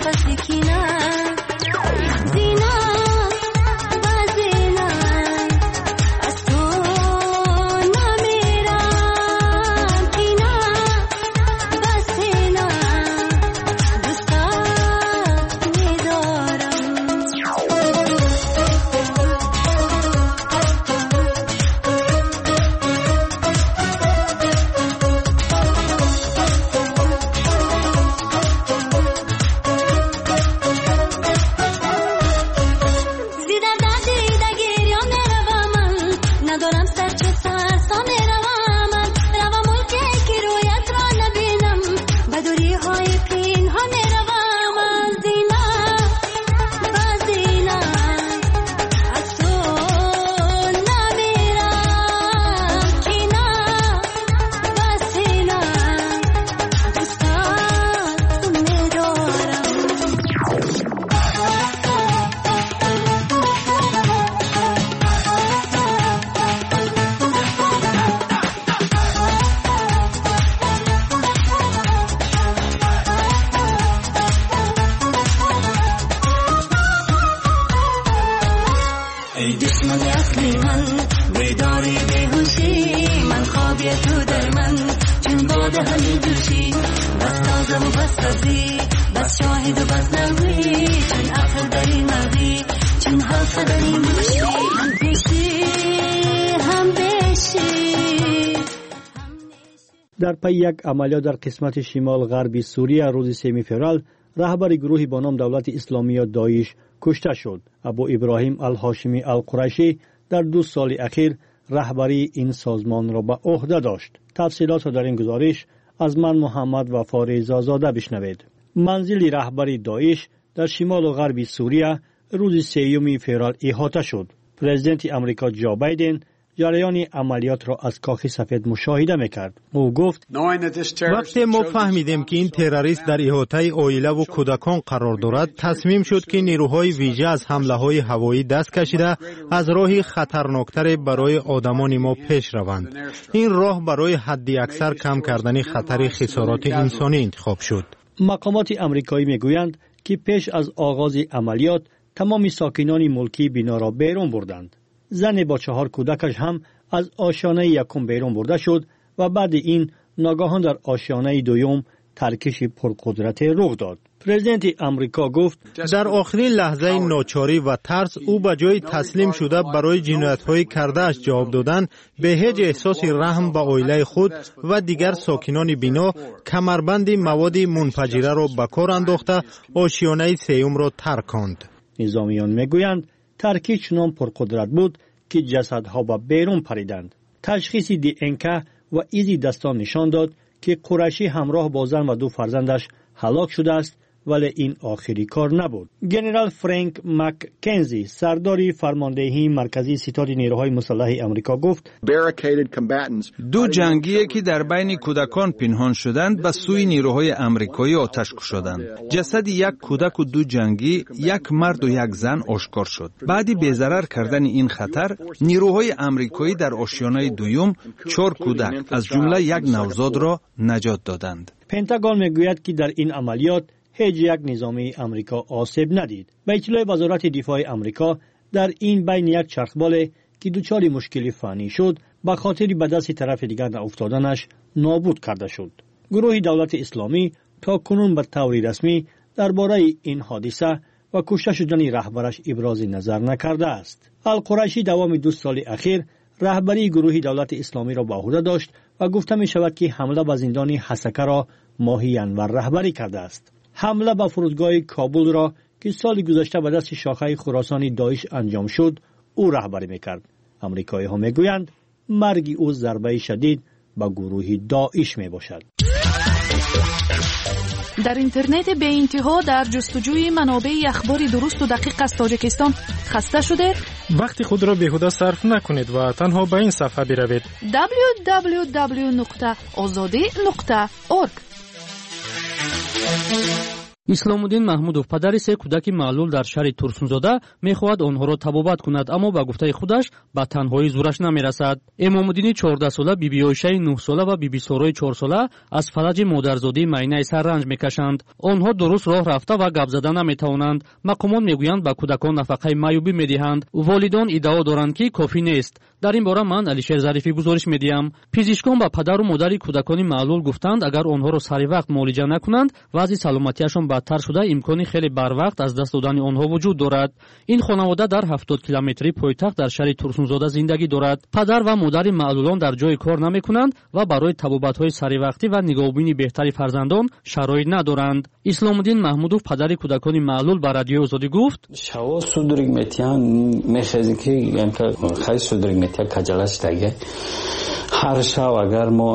قفس کینه زینا و زینا از تو نمیرم کینه و سینه دوستت می‌دارم. Дар пайи як амалиёт дар қисмати шимол ғарби Сурия рӯзи 3 феврал раҳбари гурӯҳи бо ном Давлати Исломӣ ё Доиш кушта шуд. Абу Иброҳим Алҳошимӣ Алқурайшӣ дар 2 соли ахир раҳбарии ин созмонро ба ӯҳда дошт. Тафсилотро дар ин гузориш аз ман Муҳаммад Вафо Резазода бишнавед. Манзили раҳбари Доиш дар шимолу ғарби Сурия рӯзи 3 феврал иҳота шуд. Президенти Амрико Ҷо Байден ҷараёни амалиётро аз Кохи Сафед мушоҳида мекард. Ӯ гуфт: вақте мо фаҳмидем, ки ин террорист дар иҳотаи оилаву кӯдакон қарор дорад, тасмим шуд, ки нерӯҳои вижа аз ҳамлаҳои ҳавоӣ даст кашида аз роҳи хатарноктаре барои одамони мо пеш раванд. Ин роҳ барои ҳадди аксар кам кардани хатари хисороти инсонӣ интихоб шуд. Мақомоти амрикоӣ мегӯянд, ки пеш аз оғози амалиёт тамоми сокинони мулкии биноро берун бурданд. Зане бо 4 кӯдакаш ҳам аз ошёнаи якум берун бурда шуд ва баъди ин ногаҳон дар ошёнаи дуюм таркиши пурқудрате рух дод. Президенти Амрико гуфт: дар охирин лаҳзаи ночорӣ ва тарс ӯ ба ҷои таслим шуда барои ҷиноятҳои кардааш ҷавоб додан, бе ҳеҷ эҳсоси раҳм ба оилаи худ ва дигар сокинони бино камарбанди маводи мунфаҷираро ба кор андохта ошёнаи сеюмро тарконд. Низомиён мегӯянд, таркиш чунон пурқудрат буд, ки ҷасадҳо ба берун париданд. Ташхиси ДНК ва изи дастон нишон дод, ки Қурайшӣ ҳамроҳ бо зан ва 2 фарзандаш ҳалок шудааст, вале ин охири кор набуд. Генерал Фрэнк Маккензи, сардори фармондеҳии марказии ситоди нерӯҳои мусаллаҳи Амрико гуфт: ду ҷангие, ки дар байни кӯдакон пинҳон шуданд, ба сӯи нерӯҳои амрикоӣ оташ кушоданд. Ҷасади як кӯдаку 2 ҷангӣ, як марду як зан ошкор шуд. Баъди безарар кардани ин хатар, нерӯҳои амрикоӣ дар ошёнаи дуюм 4 кӯдак, аз ҷумла як навзодро наҷот доданд. Пентагон мегӯяд, ки дар ин амалиёт ҳеҷ як низомии Амрико осеб надид. Ба иттилои Вазорати дифои Амрико, дар ин байн як чархболе, ки дучори мушкили фаннӣ шуд, ба хотири ба дасти тарафи дигар науфтоданаш нобуд карда шуд. Гурӯҳи Давлати Исломӣ то кунун ба таври расмӣ дар бораи ин ҳодиса ва кушта шудани раҳбараш ибрози назар накардааст. Алқурайшӣ давоми 2 соли ахир раҳбарии гурӯҳи Давлати Исломиро ба ӯҳда дошт ва гуфта мешавад, ки ҳамла ба зиндони Ҳасакаро моҳи январ раҳбарӣ кардааст. Ҳамла ба фурудгоҳи Кобулро, ки соли гузашта ба дасти шохаи Хуросони Доиш анҷом шуд, ӯ раҳбарӣ мекард. Амрикоиҳо мегӯянд, марги ӯ зарбаи шадид ба гурӯҳи Доиш мебошад. Дар интернети беинтиҳо дар ҷустуҷӯи манобеи ахбори дурусту дақиқ аз Тоҷикистон хаста шудед? Вақти худро беҳуда сарф накунед ва танҳо ба ин сафҳа биравед. www.ozodi.org. Исломуддин Маҳмудов, падари се кӯдаки маълул дар шаҳри Турсунзода, мехоҳад онҳоро табобат кунад, аммо ба гуфтаи худаш ба танҳоӣ зӯраш намерасад. Эмомуддини 14-сола, Бибиоишаи 9-сола ва Бибисорои 4-сола аз фалаҷи модарзодии майнаи сар ранҷ мекашанд. Онҳо дуруст роҳ рафта ва гап зада наметавонанд. Мақомот мегӯянд, ба кӯдакон нафақаи маъюбӣ медиҳанд. Волидон иддао доранд, ки кофӣ нест. Дар ин бора ман, Алишер Зарифӣ, гузориш медиҳам. Пизишкон ба падару модари кӯдакони маълул гуфтанд, агар онҳоро сари вақт муолиҷа накунанд, вазъи саломатиашон бадтар шуда, имкони хеле барвақт аз даст додани онҳо вуҷуд дорад. Ин хонавода дар 70 километрии пойтахт, дар шаҳри Турсунзода зиндагӣ дорад. Падар ва модари маълулон дар ҷои кор намекунанд ва барои табобатҳои саривақтӣ ва нигоҳубини беҳтари фарзандон шароит надоранд. Исломуддин Маҳмудов, падари кӯдакони маълул, ба Радиои Озодӣ гуфт: Шаво судорога метиҳанд, мехезем, ки хай судорога метиҳад, каҷалаш таге. Ҳар шав агар мо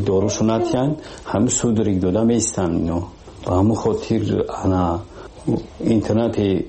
дорушу натиҳанд, ҳами судорога дода меистанд ино. Ба ҳамун хотир ана интернати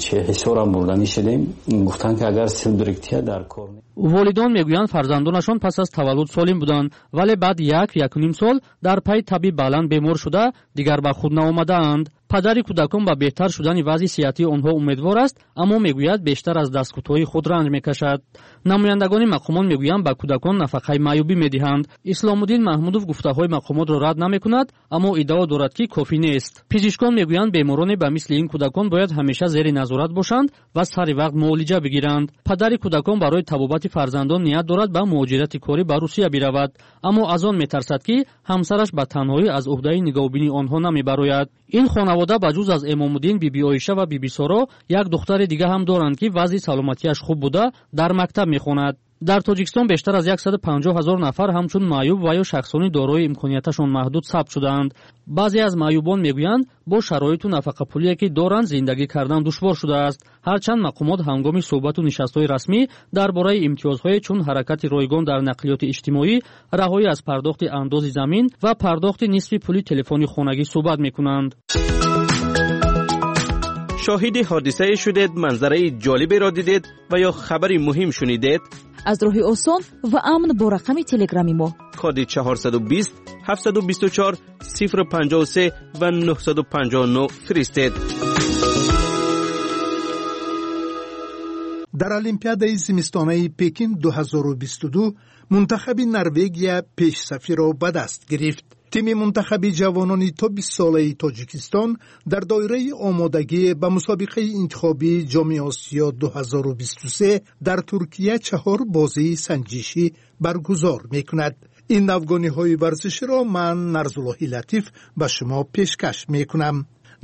чи Ҳисорам бурданӣ шудем, гуфтанд, ки агар судорога тия, дар кор. Волидон мегӯянд, фарзандонашон пас аз таваллуд солим буданд, вале баъд як, якуним сол дар пайи таби баланд бемор шуда, дигар ба худ наомадаанд. Падари кӯдакон ба беҳтар шудани вазъи сиҳатии онҳо умедвор аст, аммо мегӯяд, бештар аз дасткӯтоҳии худ ранҷ мекашад. Намояндагони мақомот мегӯянд, ба кӯдакон нафақаи маъюбӣ медиҳанд. Исломуддин Маҳмудов гуфтаҳои мақомотро рад намекунад, аммо иддао дорад, ки кофӣ нест. Пизишкон мегӯянд, бемороне ба мисли ин кӯдакон бояд ҳамеша зери назорат бошанд ва сари вақт муолиҷа бигиранд. Падари кӯдакон барои табобати фарзандон ният дорад ба муҳоҷирати корӣ ба Русия биравад, аммо аз он метарсад, ки ҳамсараш ба танҳоӣ аз уҳдаи нигоҳубини онҳо намебарояд. Ин хонавода ба ҷуз аз Эмомуддин, Бибиоиша ва Бибисоро як духтари дига ҳам доранд, ки вазъи саломатиаш хуб буда, дар мактаб мехонад. Дар Тоҷикистон бештар аз 150 ҳазор нафар ҳамчун маъюб ва ё шахсони дорои имконияташон маҳдуд сабт шудаанд. Баъзе аз маъюбон мегӯянд, бо шароиту нафақапулие, ки доранд, зиндагӣ кардан душвор шудааст. Ҳарчанд мақомот ҳангоми суҳбату нишастҳои расмӣ дар бораи имтиёзҳое чун ҳаракати ройгон дар нақлиёти иҷтимоӣ, раҳоӣ аз пардохти андози замин ва пардохти нисфи пули телефони хонагӣ суҳбат мекунанд. Шоҳиди ҳодисае шудед, манзараи ҷолиберо дидед ва ё хабари муҳим шунидед? Аз роҳи осон ва амн бо рақами телеграми мо: Коди 420 724 053 ва 959 фиристед. Дар Олимпиадаи зимистонаи Пекин 2022 мунтахаби Норвегия пешсафиро ба даст гирифт. Тими мунтахаби ҷавонони то 20-солаи Тоҷикистон дар доираи омодагӣ ба мусобиқаи интихобии Ҷоми Осиё 2023 дар Туркия чаҳор бозии санҷишӣ баргузор мекунад. Ин навгониҳои варзиширо ман, Нарзуллоҳи Латиф, ба шумо пешкаш мекунам.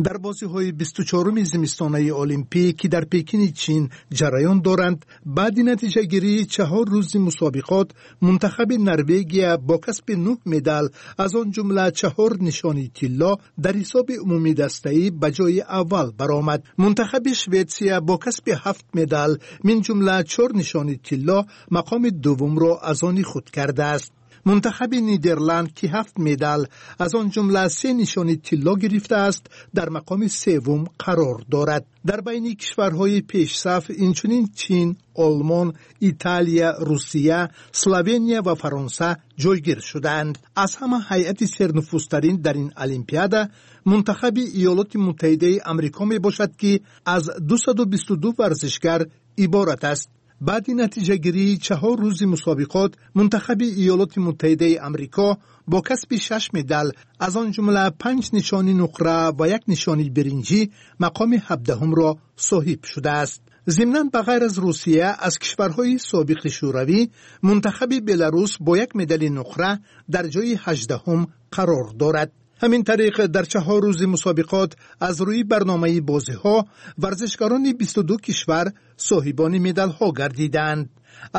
Дар бозиҳои 24-уми зимистонаи олимпӣ, ки дар Пекини Чин ҷараён доранд, баъди натиҷагирии 4 рӯзи мусобиқот мунтахаби Норвегия бо касби нӯҳ медал, аз он ҷумла чаҳор нишони тилло, дар ҳисоби умумидастаӣ ба ҷои аввал баромад. Мунтахаби Шветсия бо касби ҳафт медал, мин ҷумла чор нишони тилло, мақоми дуввумро аз они худ кардааст. Мунтахаби Нидерланд, ки ҳафт медал, аз он ҷумла се нишони тилло гирифтааст, дар мақоми севум қарор дорад. Дар байни кишварҳои пешсаф инчунин Чин, Олмон, Италия, Русия, Словения ва Фаронса ҷойгир шудаанд. Аз ҳама ҳайати сернуфузтарин дар ин олимпиада мунтахаби Иёлоти Муттаҳидаи Амрико мебошад, ки аз 222 варзишгар иборат аст. Баъди натиҷагирии 4 рӯзи мусобиқот мунтахаби Иёлоти Муттаҳидаи Амрико бо касби шаш медал, аз он ҷумла панҷ нишони нуқра ва як нишони биринҷӣ, мақоми 17-умро соҳиб шудааст. Зимнан, ба ғайр аз Русия, аз кишварҳои собиқи Шӯравӣ мунтахаби Беларус бо як медали нуқра дар ҷои 18-ум қарор дорад. Ҳамин тариқ, дар 4 рӯзи мусобиқот аз рӯи барномаи бозиҳо варзишгарони 22 кишвар соҳибони медалҳо гардидаанд.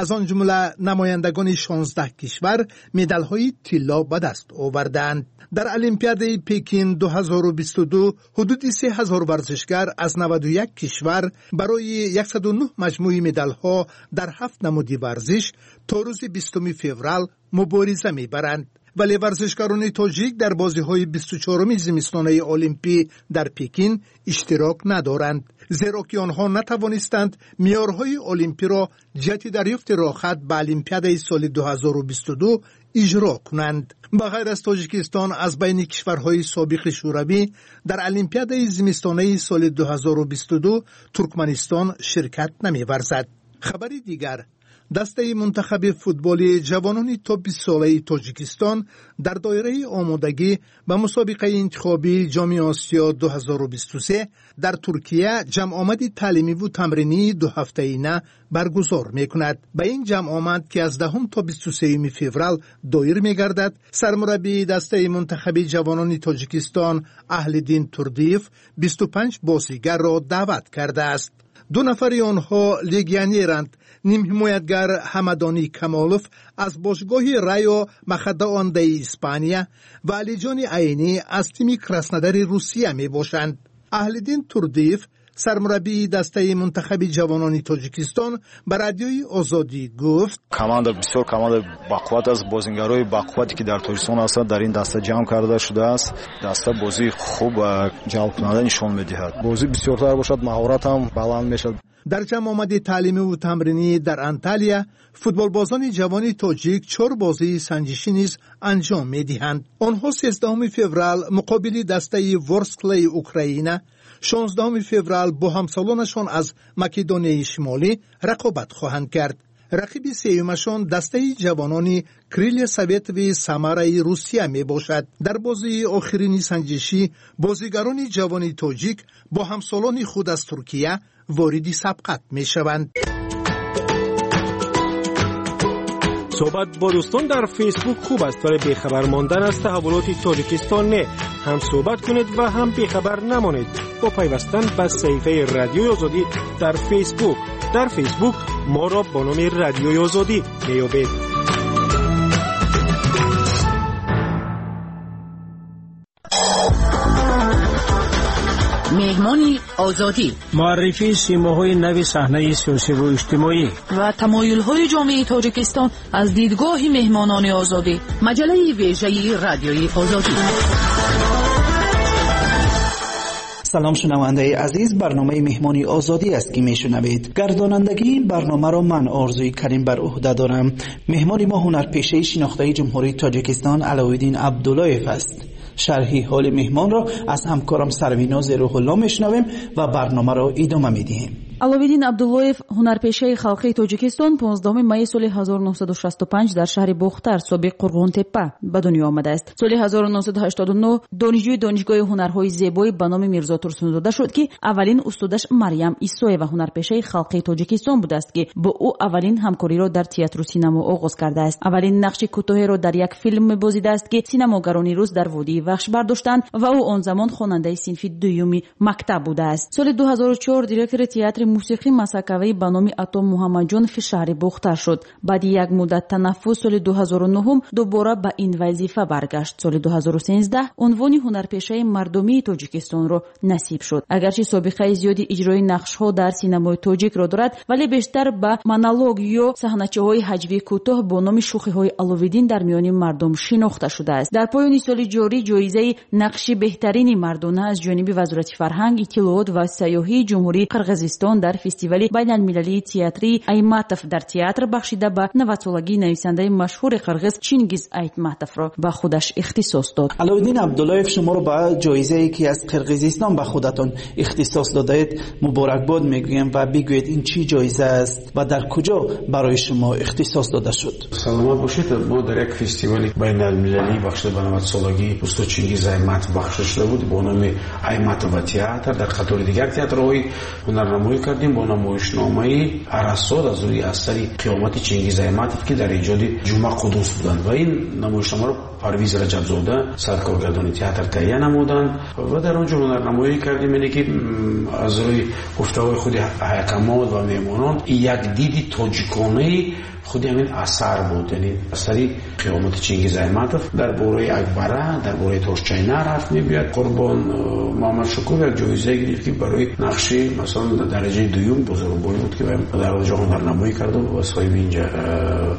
Аз он ҷумла намояндагони 16 кишвар медалҳои тилло ба даст овардаанд. Дар Олимпиадаи Пекин 2022 ҳудуди 3000 варзишгар аз 91 кишвар барои 109 маҷмӯи медалҳо дар ҳафт намуди варзиш то рӯзи 20 феврал мубориза мебаранд, вале варзишгарони тоҷик дар бозиҳои 24-уми зимистонаи олимпӣ дар Пекин иштирок надоранд, зеро ки онҳо натавонистанд меъёрҳои олимпиро ҷиҳати дарёфти роҳхат ба олимпиадаи соли 2022 иҷро кунанд. Ба ғайр аз Тоҷикистон, аз байни кишварҳои собиқи Шӯравӣ дар Олимпиадаи зимистонаи соли 2022 Туркманистон ширкат намеварзад. Хабари дигар: дастаи мунтахаби футболи ҷавонони то 20-солаи Тоҷикистон дар доираи омодагӣ ба мусобиқаи интихобии Ҷоми Осиё 2023 дар Туркия ҷамъомади таълимиву тамринии дуҳафтаина баргузор мекунад. Ба ин ҷамъомад, ки аз 10 то 23 феврал доир мегардад, сармураббии дастаи мунтахаби ҷавонони Тоҷикистон Аҳлиддин Турдиев 25 бозигарро даъват кардааст. Ду нафари онҳо легионеранд: нимҳимоятгар Ҳамадонӣ Камолов аз бошгоҳи Райо Махадаондаи Испания ва Алиҷони Айнӣ аз тими Краснодари Русия мебошанд. Аҳлиддин Турдиев, сармураббии дастаи мунтахаби ҷавонони Тоҷикистон, ба Радиои Озодӣ гуфт: Команда бисёр команда бақувват аст. Бозингарои бақуввате, ки дар Тоҷикистон ҳастанд, дар ин даста ҷамъ карда шудааст. Даста бозии хуб ва ҷалбкунанда нишон медиҳад. Бозӣ бисёртар бошад, маҳорат ҳам баланд мешавад. Дар ҷамъомади таълимиву тамринӣ дар Анталия футболбозони ҷавони тоҷик чор бозии санҷишӣ низ анҷом медиҳанд. Онҳо 13 феврал муқобили дастаи Ворсклаи Украина, 16 феврал бо ҳамсолонашон аз Македонияи Шимолӣ рақобат хоҳанд кард. Рақиби сеюмашон дастаи ҷавонони Крылья Советови Самараи Русия мебошад. Дар бозии охирини санҷишӣ бозигарони ҷавони тоҷик бо ҳамсолони худ аз Туркия вориди сабқат мешаванд. Суҳбат бо дӯстон дар Фейсбук хуб аст, вале бехабар мондан аз таҳаввулоти Тоҷикистон не. Ҳам суҳбат кунед ва ҳам бехабар намонед бо пайвастан ба саҳифаи Радиои Озодӣ дар Фейсбук. Дар Фейсбук моро бо номи Радиои Озодӣ меёбед. Меҳмони Озодӣ: муаррифии симоҳои нави саҳнаи сиёсиву иҷтимоӣ ва тамоюлҳои ҷомеаи Тоҷикистон аз дидгоҳи меҳмонони Озодӣ. Маҷаллаи вежаи Радиои Озодӣ. Салом, шунавандаи азиз, барномаи Меҳмони Озодӣ аст, ки мешунавед. Гардонандагии ин барномаро ман, Орзуи Карим, бар уҳда дорам. Меҳмони мо ҳунарпешаи шинохтаи Ҷумҳурии Тоҷикистон Алоуддин Абдуллоев аст. Шарҳи ҳоли меҳмонро аз ҳамкорам Сарвиноз Рӯҳулло мешунавем ва барномаро идома медиҳем. Аловиддин Абдуллоев, ҳунарпешаи халқии Тоҷикистон, 15 майи соли 1965 дар шаҳри Бохтар, собиқ Қурғонтеппа, ба дунё омадааст. Соли 1989 донишҷӯи Донишгоҳи ҳунарҳои зебои ба номи Мирзо Турсунзода шуд, ки аввалин устодаш Марьям Исоева, ҳунарпешаи халқии Тоҷикистон будааст, ки бо ӯ аввалин ҳамкориро дар театру синамо оғоз кардааст. Аввалин нақши кӯтоҳеро дар як филм мебозидааст, ки синамогарони рус дар водии Вахш бардоштанд ва ӯ он замон хонандаи синфи дуюми мактаб будааст. Соли 2004 директори театри мусиқӣ масакавӣ ба номи Ато Муҳаммадҷонови шаҳри Бохтар шуд. Баъди як муддат танаффус соли 2009 дубора ба ин вазифа баргашт. Соли 2013 унвони ҳунарпешаи мардумии Тоҷикистонро насиб шуд. Агарчи собиқаи зиёди иҷрои нақшҳо дар синамои тоҷикро дорад, вале бештар ба монолог ё саҳначаҳои ҳаҷвии кӯтоҳ бо номи шӯхиҳои Аловиддин дар миёни мардум шинохта шудааст. Дар поёни соли ҷорӣ ҷоизаи нақши беҳтарини мардона аз ҷониби Вазорати фарҳанг, иттилоот ва сайёҳии Ҷумҳурии Қирғизистон дар фестивали байналмилалии театрии Айтматов дар театр бахшида ба 90-солагии нависандаи машҳури қирғиз Чингиз Айтматовро ба худаш ихтисос дод. Алоуддин Абдуллоев, шуморо ба ҷоизае, ки аз Қирғизистон ба худатон ихтисос додаед, муборакбод мегӯем ва бигӯед, ин чӣ ҷоиза аст ва дар куҷо барои шумо ихтисос дода шуд? Саломат бошед. Мо дар як фестивали байналмилалӣ бахшида ба 90-солагии устод Чингиз Айтматов бахшида шуда буд бо номи Айтматова театр, дар қатори дигар театрҳои ҳунарнамоӣ кардем бо намоишномаи Арасод аз рӯи асари Қиёмати Чингиз Айтматов, ки дар эҷоди Ҷума Қудус буданд, ва ин намоишномаро Парвиз Раҷабзода, саркоргардони театр, таҳия намуданд ва дар он ҷо ҳунарнамоӣ кардем. Яъне ки аз рӯи гуфтаҳои худи ҳайакамот ва меҳмонон як диди тоҷиконаи худи ҳамин асар буд, яъне асари Қиёмати Чингиз Айтматов дар бораи Акбара, дар бораи Тошчайнар ҳарф мебиёяд. Қурбон Муҳаммадшукур як ҷоизае гирифт, ки барои нақши масалан дараҷаи дуюм бузургбой буд, ки дар он ҷо ҳунарнамоӣ карду ва соҳиби инҷа.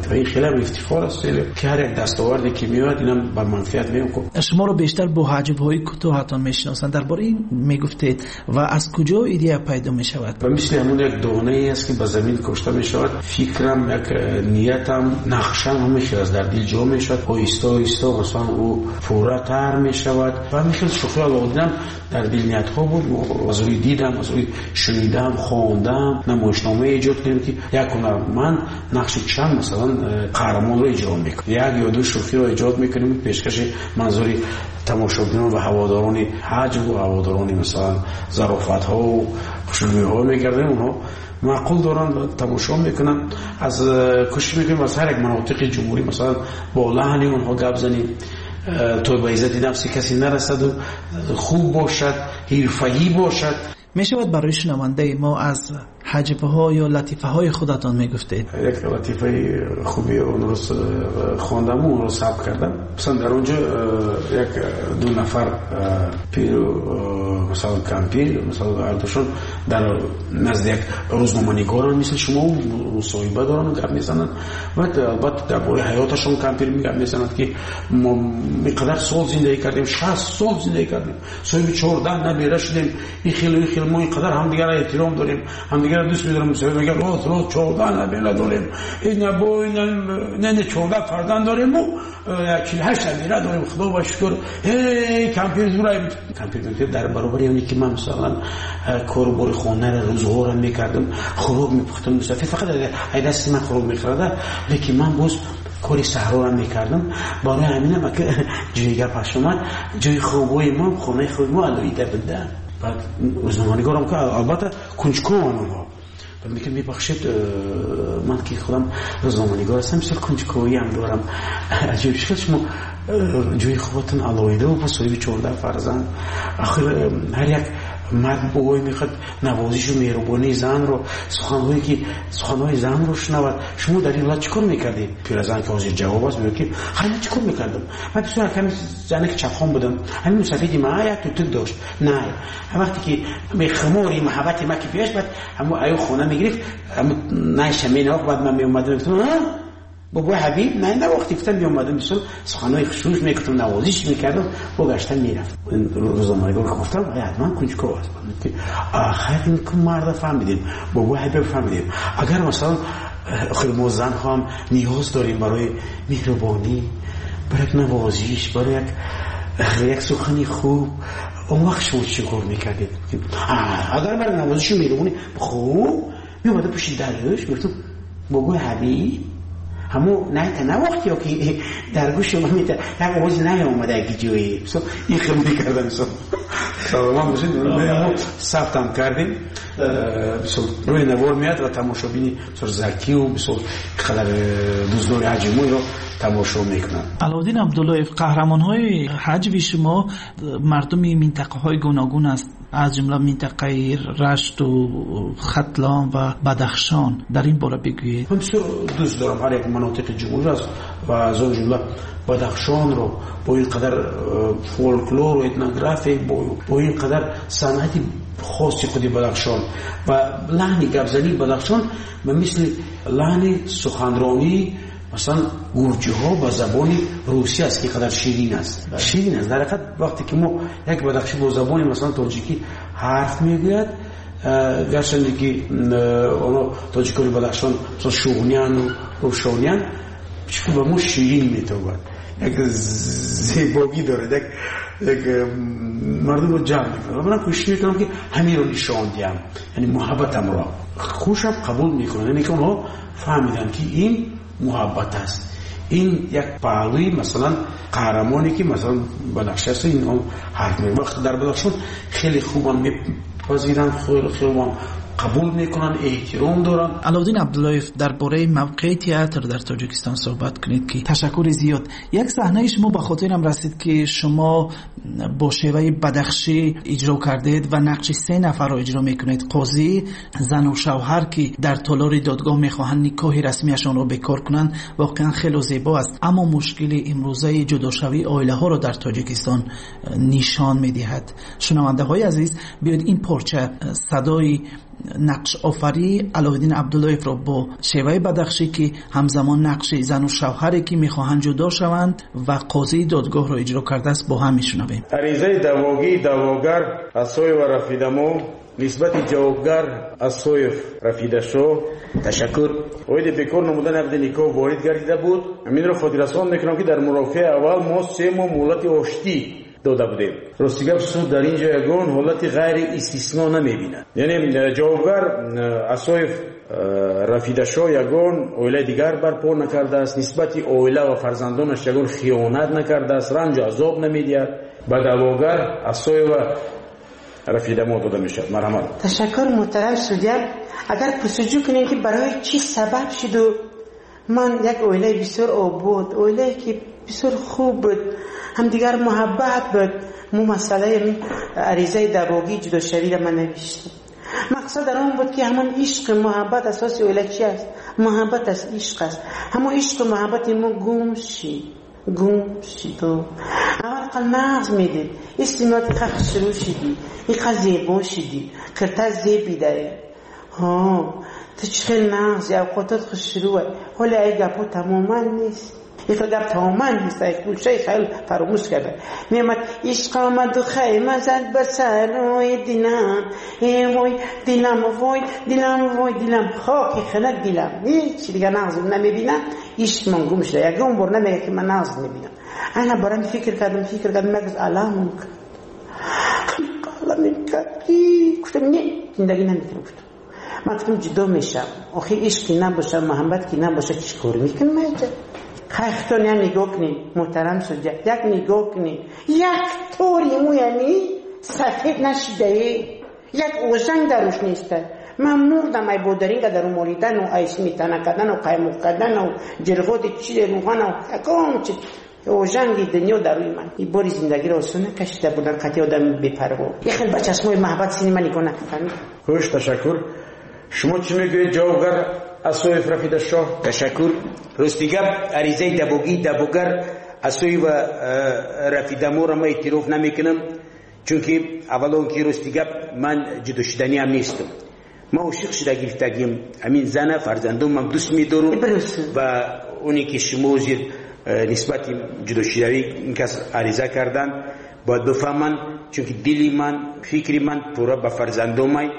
Ва ин хеле ҳам ифтихор аст, ки ҳар як дастоварде ки меояд, Инам ба манфиат меояд. Шуморо бештар бо ҳаҷвҳои кӯтоҳатон мешиносанд. Дар бораи ин мегуфтед ва аз куҷо идея пайдо мешавад? Ба мисли ҳамон як донае аст, ки ба замин кошта мешавад. Фикрам, як ниятам, нақшам ҳамин хел аст, дар дил ҷо мешавад. Оҳиста оҳиста масалан ӯ пурратар мешавад. Ва ҳамин хел шӯхии Алоуддинам дар дил ниятҳо буд. Аз рӯи дидам, аз рӯи шунидам, хондам, намоишнома эҷод кардем, ки як ҳунарманд нақши чанд масалан қаҳрамонро иҷро мекунад. Як ё ду шӯхиро эҷод мекунем, пешкаши манзури тамошобинон ва ҳаводорони ҳаҷв ва ҳаводорони масалан зарофатҳо ва хушнудиҳо мегардем. Онҳо маъқул доранд ва тамошо мекунанд. Аз кӯшиш мекунем аз ҳар як манотиқи ҷумҳурӣ масалан бо лаҳни онҳо гап занем, то ба иззати нафси касе нарасаду хуб бошад, ҳирфаӣ бошад. Мешавад барои шунавандаи мо аз ҳаҷвҳо ё латифаҳои худатон мегуфтед? Як латифаи хуби онро хондам ва онро сабт кардам. Масалан дар он ҷо як ду нафар пиру масалан кампир, масалан ҳардушон дар назди як рӯзноманигоран мисли шумо мусоҳиба доранд, гап мезананд. Ва албатта дар бораи ҳаёташон кампир гап мезананд, ки мо инқадар сол зиндагӣ кардем, 60 сол зиндагӣ кардем, соҳиби 14 набера шудем, ин хел ин хел, мо инқадар ҳамдигарро эҳтиром дорем, ҳамдигарро дӯст медорем. Мусоҳиба мегӯяд: рост рост 14 набера дорем, не 14 фарзанд дорем ва 48 набера дорем, худо ба шукр. Эй кампир зурай. Кампир мегӯяд: дар баробари оне ки ман масалан кору бори хонаро, рӯзғорро мекардам, хӯрок мепухтам, мусофир фақат ай дасти ман хӯрок мехӯрда, лекин ман боз кори саҳроро мекардам. Барои ҳаминам ака ҷои гапаш омад, ҷои хобҳои мо, хонаи хоби мо алоҳида буда. Баъд рӯзноманигорам ки албатта кунҷкованд онҳо. Баъд мегӯяд: мебахшед, ман ки худам рӯзноманигор ҳастам, бисёр кунҷковиам дорам. Аҷиб шуд, шумо ҷои хобатон алоҳида ва соҳиби 14 фарзанд. Охир ҳар як мард бобой мехоҳад навозишу меҳрубонии занро, суханҳое ки суханҳои занро шунавад. Шумо дар ин ҳолат чӣ кор мекардед? Пиразан ки ҳозир ҷавоб аст, мегӯяд ки хай ман чӣ кор мекардам? Ман бисёр ками занаки чапхон будам. Ҳамин мусафиди ман як тутук дошт. На, вақте ки хумори муҳаббати ман ки пеш, баъд ҳамон аю хона мегирифт, ҳамон найша менавохт, баъд ман меомадам, мегуфтам: бобои Ҳабиб, на навохти, гуфтам, меомадам, бисёр суханҳои хушнуш мекардам, навозиш мекардам, бо гашта мерафт. Рӯзноманигор гуфтам: ҳатман кунҷков аст. Хайр, ин марда фаҳмидем, бобои Ҳабиб фаҳмидем. Агар масалан охир мо занҳо ҳам ниёз дорем барои меҳрубонӣ, барои як навозиш, барои як сухани хуб, он вақт шумо чӣ кор мекардед? Агар барои навозишу меҳрубонӣ хуб меомадам пушти дарш, мегуфтам: бобои Ҳабиб, ҳамо найта навохт ё ки дар гӯши ман мета як овози наомада ки ҷое ин хел мекардам. Саломат бошед. Мо сабтам кардем, рӯи навор меяд ва тамошобини бисёр закию бисёр қадар дӯстдори ҳаҷви мо инро тамошо мекунанд. Алоуддин Абдуллоев, қаҳрамонҳои ҳаҷви шумо мардуми минтақаҳои гуногун аст, аз ҷумла минтақаи Рашту, Хатлон ва Бадахшон. Дар ин бора бигӯед. Ман бисёр дӯст дорам ҳар як манотиқи ҷумҳурӣ аст ва аз он ҷумла Бадахшонро бо ин қадар фолклору этнография, бо ин қадар санъати хоси худи Бадахшон ва лаҳни гапзании Бадахшон ба мисли лаҳни суханронии масалан гурҷиҳо ба забони русӣ аст, ки қадар ширин аст. Ширин аст. Дар ҳақиқат вақте ки мо як бадахшӣ бо забони масалан тоҷикӣ ҳарф мегӯяд, гарчанде ки оно тоҷикони Бадахшон масалан шуғнияну рӯшониян, чунки ба мо ширин метобад, як зебогӣ дорад, як мардумро ҷамъ мекунад. Ва ман кӯшиш мекунам ки ҳаминро нишон диҳам, яъне муҳаббатамро хушам қабул мекунанд, яъне ки онҳо фаҳмиданд ки ин муҳаббат аст, ин як паҳлӯи масалан қаҳрамоне ки масалан Бадахши аст, ин он ҳарф мегӯяд. Вақте дар Бадахшон хеле хубам мепазиранд, хеле хубам қабул мекунанд, эҳтиром доранд. Алоуддин Абдуллоев, дар бораи мавқеи театр дар Тоҷикистон суҳбат кунед ки ташаккури зиёд. Як саҳнаи шумо ба хотирам расид ки шумо бо шеваи бадахшӣ иҷро кардед ва нақши се нафарро иҷро мекунед: қозӣ, зану шавҳар ки дар толори додгоҳ мехоҳанд никоҳи расмияшонро бекор кунанд. Воқеан хело зебо аст, аммо мушкили имрӯзаи ҷудошавии оилаҳоро дар Тоҷикистон нишон медиҳад. Шунавандаҳои азиз, биёед ин порча садои Нақшофарии Алоуддин Абдуллоевро бо шеваи бадахшӣ, ки ҳамзамон нақши зану шавҳаре, ки мехоҳанд ҷудо шаванд ва қозии додгоҳро иҷро кардааст, бо ҳам мешунавем. Аризаи даъвогии даъвогар Асоева Рафидамо нисбати ҷавобгар Асоев Рафидашо ташаккур оиди бекор намудани ақди никоҳ ворид гардида буд. Ҳаминро хотиррасон мекунам, ки дар мурофиаи аввал мо 3 моҳ муҳлати оштӣ дода будем. Рости гап, суд дар ин ҷо ягон ҳолати ғайриистисно намебинад. Яъне ҷавобгар Асоев Рафидашо ягон оилаи дигар барпо накардааст, нисбати оила ва фарзандонаш ягон хиёнат накардааст, ранҷу азоб намедиҳад. Ба даъвогар Асоева Рафидамо дода мешавад. Марҳамат. Ташаккур, муҳтарам судья. Агар пурсуҷӯ кунем, ки барои чӣ сабаб шуду ман як оилаи бисёр обод, оилае ки бисёр хуб буд, ҳамдигар муҳаббат буд, мо масъалаи аризаи даъвогии ҷудошавиро ман навиштам. Мақсад дар он буд, ки ҳамон ишқи муҳаббат, асоси оила чи аст? Муҳаббат аст, ишқ аст. Ҳамон ишқу муҳаббати мо гум шид, гум шид. Аввал қал нағз медид, истимоти қа хушрӯ шидӣ, иқа зебо шидӣ, кирта зебидае. Ҳо, ту чӣ хел нағзи, авқотот хушрӯа. Ҳоле ай гапҳо тамоман нест. Ин гап тамоман нест, ай гӯшаи хаёл фаромӯш карда. Меомад ишқ омаду хайма зад ба сарои дилам, э вой дилам, вой дилам, вой дилам, хоки хинак дилам. Ҳеҷ дигар нағз намебинам, ишқмон гум шуда. Ягон бор намега, ки ман нағз мебинам. Ана барам фикр кардам, фикр кардам, як рӯз аламам кард, аламем кард. Гуфтам, не, зиндагӣ наметавонам, гуфтам. Ман гуфтам, ҷудо мешавам. Охир ишқ ки набошад, муҳаббат ки набошад, чӣ кор мекунам ман инҷа? Хай, худтон як нигоҳ кунед, муҳтарам судья, як нигоҳ кунед. Як тори мӯями сафед нашидае, як ожанг дар рӯш неста. Ман мурдам ай бодаринга дар молидану, ай сметана кардану, қаймоқ кардану, ҷирғоти чизе, рӯғану, ягон чи ожанги дунё дар рӯи ман. И бори зиндагиро осон накашида будам, қатъи одами бепарво. Як хел ба чашмои маҳаббат сини ман нигоҳ накард. Хуш, ташаккур. Шумо чӣ мегӯед, ҷавобгар Асоев Рафидашоҳ? Ташаккур. Рости гап, аризаи даъвогии даъвогар Асоева Рафидаморо ман эътироф намекунам, чунки аввалон ки рости гап ман ҷудошуданиам нестам. Ман ошиқ шуда гирифтагим ҳамин зана, фарзандонам дӯст медорам ва оне ки шумо ҳозир нисбати ҷудошудавӣ ин кас ариза карданд, бояд бифаҳманд, чунки дили ман, фикри ман пурра ба фарзандомай.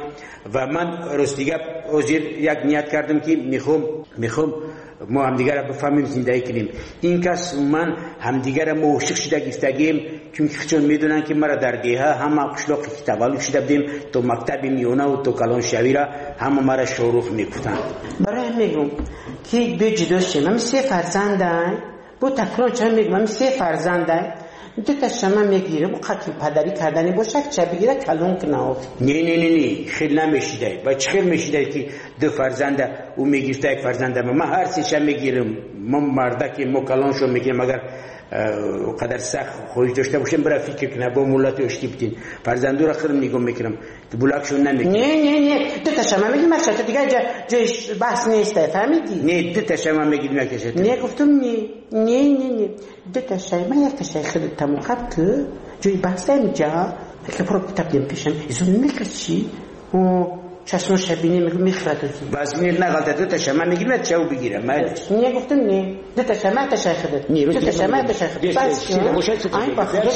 Ва ман рости гап ҳозир як ният кардам, ки мехоҳам мо ҳамдигарро бифаҳмем, зиндагӣ кунем. Ин кас ман ҳамдигарро мо ошиқ шуда гирифтагием, чунки худшон медонанд, ки мара дар деҳа ҳама қишлоқе ки таваллуд шуда будем, то мактаби миёнаву то калоншавиро ҳама мара Шорух мегуфтанд. Барои ҳам мегӯм, ки биё ҷудо шем. Ҳами се фарзандай, бо такрор чанд мегӯм, ҳами се фарзандай, ду та шама мегирам, қати падарӣ кардани бошад, ча бигира калон кунад. Не, не, не, не, хел намешидай. Ва чӣ хел мешидай, ки ду фарзанда ӯ мегирифта, як фарзанда ман ҳар сеша мегирам. Мо мардаки мо калоншо мегирем, агар қадар сахт хоҳиш дошта бошем, бира фикр кунад, бо муллати оштӣ бидин. Фарзандура худам нигоҳ мекунам, булакшон намекунам. Не, не, не, ду та шама мегирам, шата дигар ҷои баҳс нест, фаҳмидӣ? Не, ду та шама мегирам, як та. Не, гуфтам, не, не, не, не, ду та шай, ман як та шай худат тамом ку, ҷои баҳс инҷа. Ки про китоб дем пешам, изон мекаши. О, чашмоша бинӣ, мегӯ мехӯрад. Вазмир нағалта, ду та шама мегирам, чау бигирам, майли. Не, гуфтам, не, ду та шама, та шай худат. Ду та шама, та шай худат. Ай, ба худо,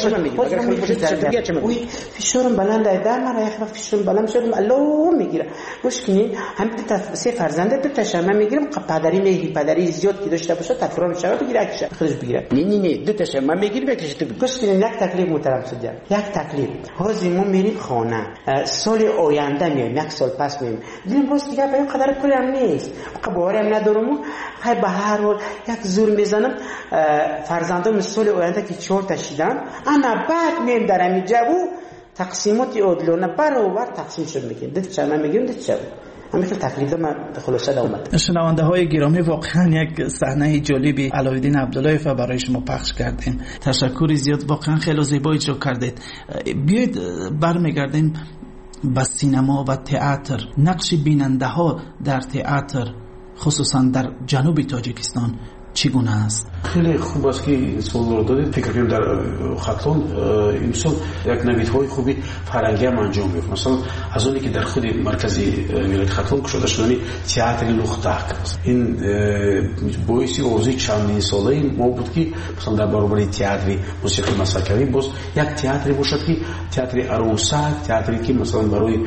ой, фишорам баланд ай, дар мара як вақт фишорам баланд шудам, алло мегира. Гӯш кунед, ҳам ду та се фарзанда, ду та шама мегирам, падари меҳри, падари зиёд ки дошта бошад, такрор мешавад, бигира, якша худаш бигира. Не, не, не, ду та шама мегирам, якша ту. Гӯш кунед, як таклиф, муҳтарам судья, як таклиф. Ҳозир мо мерим хона, соли оянда меоем, як сол пас меоем. Дидем, рост дигар ба ин қадар пулам нест, боварам надорам. Хай, ба ҳар ҳол як зур мезанам, фарзандом соли оянда ки чорта шидам, ана баъд меоем дар ҳамин ҷаву тақсимоти одилона баробар тақсим шуд мекунем. Ду чама мегирем, ду чама. Ҳамин хел таклиф ман хулоса омад. Шунавандаҳои гиромӣ, воқеан як саҳнаи ҷолиби Алоуддин Абдуллоевро барои шумо пахш кардем. Ташаккури зиёд, воқеан хеле зебо иҷро кардед. Биёед бармегардем ба синамо ва театр. Нақши бинандаҳо дар театр, хусусан дар ҷануби Тоҷикистон, чӣ гуна аст? Хеле хуб аст, ки ин суолро додед. Фикр кунем, дар Хатлон имсол як навидҳои хуби фарҳангӣ ҳам анҷом меёфт. Масалан, аз оне ки дар худи маркази вилояти Хатлон кушода шудани театри Лухтак, ин боиси орзуи чандинсолаи мо буд, ки масалан дар баробари театри мусиқии масакавӣ боз як театре бошад, ки театри арӯсак, театре ки масалан барои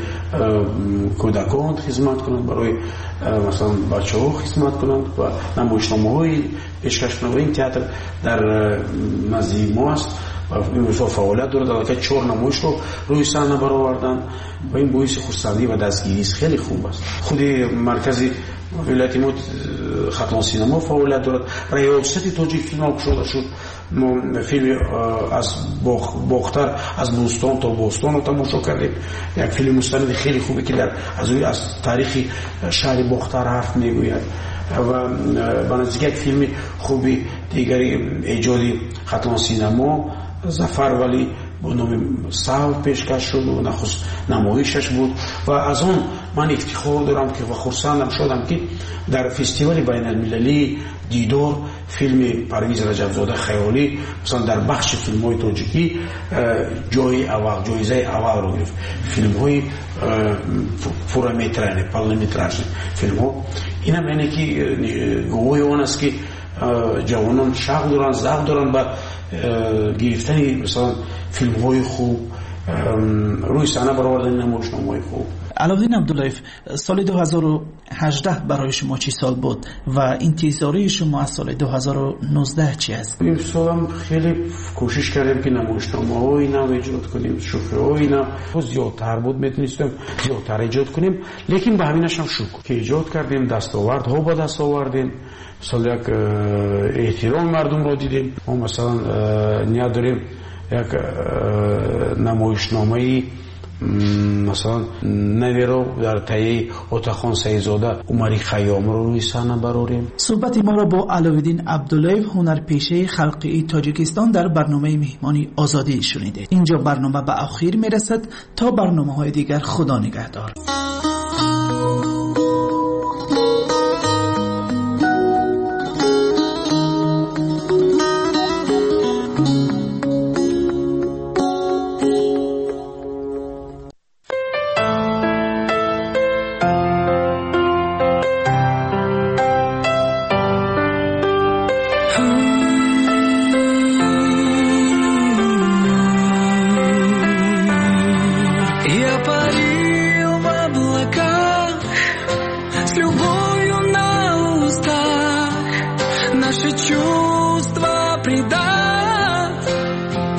кӯдакон хизмат кунад, барои масалан бачаҳо хизмат кунанд ва намоишномаҳои пешкаш кунанд. Ва ин театр дар назди мо аст ва имрӯзҳо фаъолият дорад. Аллакай 4 намоишро рӯи саҳна бароварданд ва ин боиси хурсандӣ ва дастгирист, хеле хуб аст. Худи маркази вилояти мо Хатлон синемо фаъолият дорад. Раёсати Тоҷикфилм кушода шуд. Мо филми аз Бохтар, аз Бӯстон то Бостонро тамошо кардем. Як филми мустанади хеле хубе, ки аз таърихи шаҳри Бохтар ҳарф мегӯяд ва ба наздик як филми хуби дигари эҷоди Хатлон синемо Зафар Валӣ бо номи Сав пешкаш шуд ва нахуст намоишаш буд. Ва аз он ман ифтихор дорам ки ва хурсандам шудам, ки дар фестивали байналмилалии Дидор филми Парвиз Раҷабзода Хаёлӣ масалан дар бахши филмҳои тоҷикӣ ҷои аввал, ҷоизаи аввалро гирифт. Филмҳои пурраметражни, полнометражни филмҳо. Инам яъне ки гувоҳи он аст, ки ҷавонон шавқ доранд, завқ доранд ба гирифтани масалан филмҳои хуб, рӯи саҳна баровардани намоишномаҳои хуб. Аловиддин Абдуллоев, соли 2018 барои шумо чӣ сол буд ва интизории шумо аз соли 2019 чӣ аст? Ин солам хеле кӯшиш кардем, ки намоишномаҳои нав эҷод кунем, шӯхиҳои нав зиёдтар буд, метавонистем зиёдтар эҷод кунем, лекин ба ҳаминаш ҳам шукр, ки эҷод кардем, дастовардҳо ба даст овардем. Мисол, як эҳтироми мардумро дидем. Мо масалан ният дорем як намоишномаи масалан наверо дар таҳияи Отахон Саидзода Умари Хайёмро рӯи саҳна барорем. Суҳбати моро бо Аловиддин Абдуллоев, ҳунарпешаи халқии Тоҷикистон, дар барномаи Меҳмони Озодӣ шунидед. Инҷо барнома ба охир мерасад. То барномаҳои дигар, Худо нигаҳдор.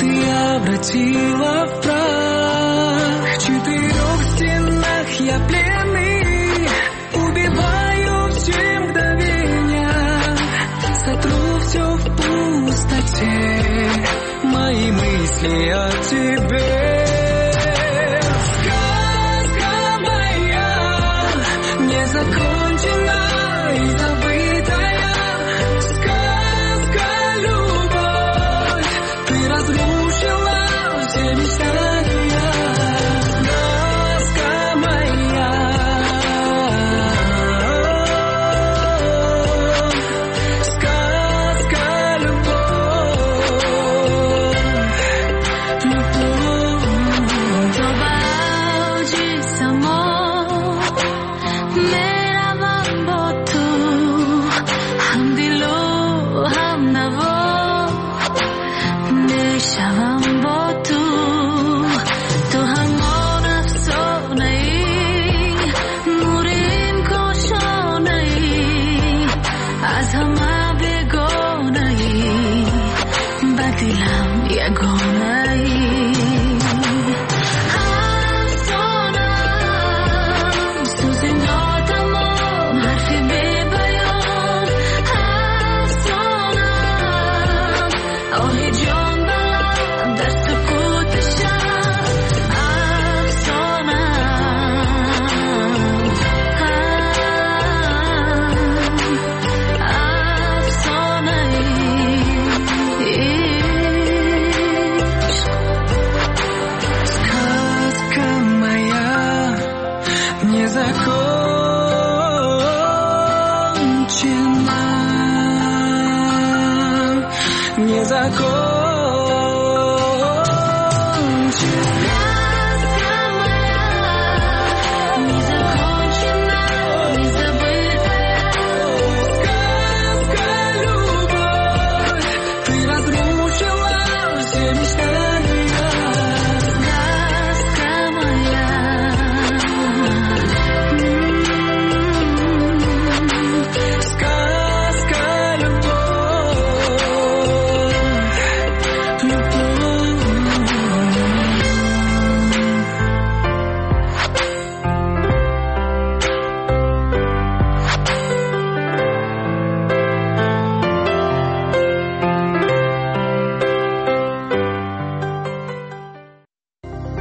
Превратила в прах. В 4 стенах я пленный, убиваю все мгновения, сотру все в пустоте, мои мысли о тебе.